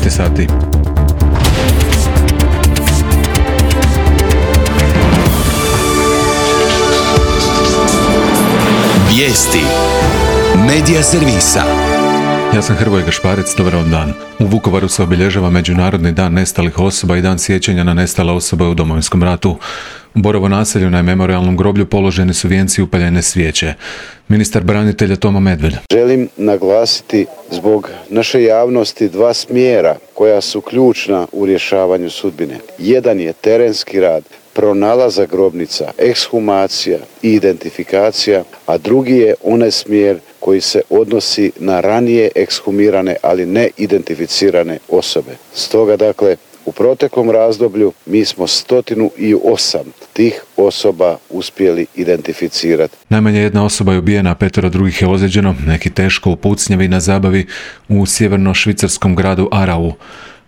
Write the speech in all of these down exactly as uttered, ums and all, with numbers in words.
jedanaest sati. Vijesti Medija servisa. Ja sam Hrvoje Gašparec, dobar vam dan. U Vukovaru se obilježava Međunarodni dan nestalih osoba i dan sjećanja na nestale osobe u Domovinskom ratu. U Borovo naselju na memorijalnom groblju položeni su vijenci i upaljene svijeće. Ministar branitelja Tomo Medved. Želim naglasiti zbog naše javnosti dva smjera koja su ključna u rješavanju sudbine. Jedan je terenski rad, pronalazak grobnica, ekshumacija i identifikacija, a drugi je onaj smjer koji se odnosi na ranije ekshumirane, ali ne identificirane osobe. Stoga, dakle, u proteklom razdoblju mi smo stotinu i osam tih osoba uspjeli identificirati. Najmanje jedna osoba je ubijena, a petero drugih je ozlijeđeno, neki teško u pucnjavi na zabavi u sjeverno-švicarskom gradu Arau.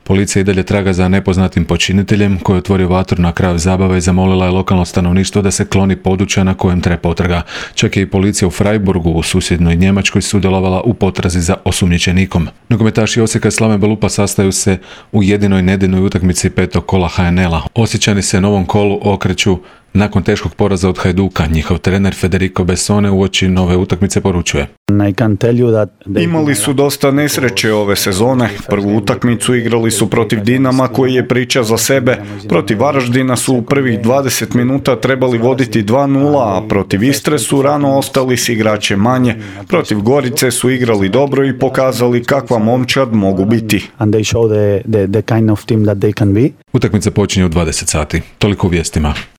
Policija i dalje traga za nepoznatim počiniteljem koji je otvorio vatru na kraju zabave i zamolila je lokalno stanovništvo da se kloni područja na kojem treba potraga. Čak je i policija u Freiburgu u susjednoj Njemačkoj sudjelovala u potrazi za osumnjičenikom. Nogometaši Osijeka i Slave Belupa sastaju se u jedinoj nedeljnoj utakmici petog kola H N L-a. Osječani se novom kolu okreću nakon teškog poraza od Hajduka. Njihov trener Federico Bessone uoči nove utakmice poručuje: Imali su dosta nesreće ove sezone. Prvu utakmicu igrali su protiv Dinama koji je priča za sebe. Protiv Varaždina su u prvih dvadeset minuta trebali voditi dva nula, a protiv Istre su rano ostali s igračem manje. Protiv Gorice su igrali dobro i pokazali kakva momčad mogu biti. Utakmica počinje u dvadeset sati. Toliko u vijestima.